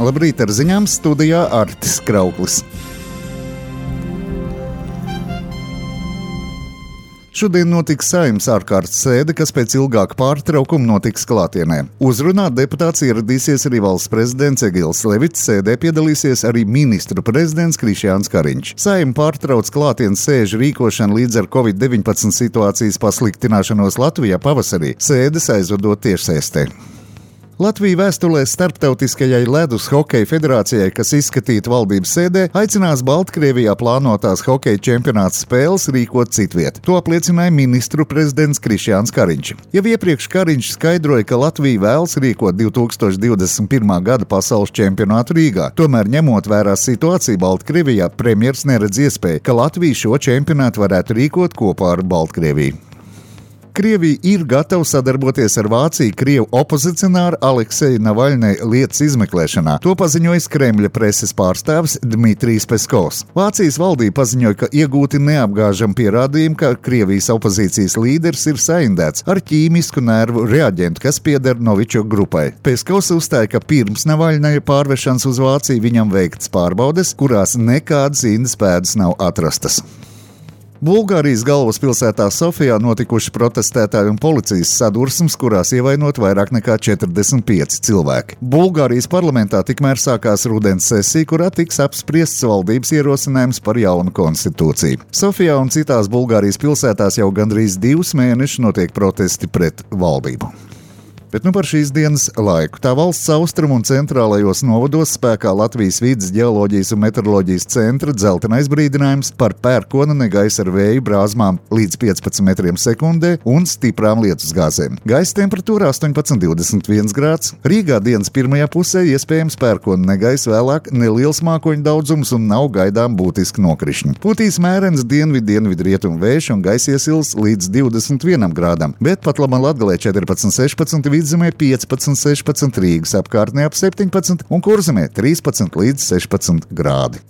Labrīt, ar ziņām studijā Artis Krauklis. Šodien notiks Saeimas ārkārtas sēde, kas pēc ilgāka pārtraukuma notiks klātienē. Uzrunāt deputāts ieradīsies arī valsts prezidents Egils Levits, sēdē piedalīsies arī ministru prezidents Krišjāns Kariņš. Saeima pārtrauc klātienes sēžu rīkošanu līdz ar Covid-19 situācijas pasliktināšanos Latvijā pavasarī, sēdes aizvadot tiešsaistē. Latvija vēstulē Starptautiskajai ledus hokeja federācijai, kas izskatīta valdības sēdē, aicinās Baltkrievijā plānotās hokeja čempionāta spēles rīkot citviet. To apliecināja ministru prezidents Krišjāns Kariņš. Jau iepriekš Kariņš skaidroja, ka Latvija vēlas rīkot 2021. gada pasaules čempionātu Rīgā. Tomēr, ņemot vērā situāciju Baltkrievijā, premjers neredz iespēju, ka Latvija šo čempionātu varētu rīkot kopā ar Baltkrieviju. Krievija ir gatava sadarboties ar Vāciju Krievu opozicionāru Alekseju Navaļņu lietas izmeklēšanā. To paziņoja Kremļa preses pārstāvis Dmitrijs Peskovs. Vācijas valdība paziņoja, ka iegūti neapgāžami pierādījumi, ka Krievijas opozīcijas līderis ir saindēts ar ķīmisku nervu reaģentu, kas pieder Novičok grupai. Peskovs uzstāja, ka pirms Navaļņa pārvešanas uz Vāciju viņam veikts pārbaudes, kurās nekādas indas pēdas nav atrastas. Bulgārijas galvaspilsētā Sofijā notikuši protestētāju un policijas sadursmes, kurās ievainot vairāk nekā 45 cilvēki. Bulgārijas parlamentā tikmēr sākās rudens sesija, kurā tiks apspriests valdības ierosinājums par jaunu konstitūciju. Sofijā un citās Bulgārijas pilsētās jau gandrīz 2 mēnešus notiek protesti pret valdību. Bet par šīs dienas laiku. Tā valsts austrumu un centrālajos novados spēkā Latvijas vides ģeoloģijas un meteoroloģijas centra dzeltenais brīdinājums par pērkona negaisa ar vēju brāzmām līdz 15 metriem sekundē un stiprām lietusgāzēm. Gaisa temperatūra 18–21 grāds. Rīgā dienas pirmajā pusē iespējams pērkona negaisa, vēlāk neliels mākoņu daudzums un nav gaidām būtiski nokrišņi. Putīs mērens dienvidu-rietumu vējš un gaisa iesils līdz 21 grādam, bet pat labam Latgalē 14–16, Vidzemē 15–16, Rīgas apkārtnē ap 17 un Kurzemē 13–16 grādi.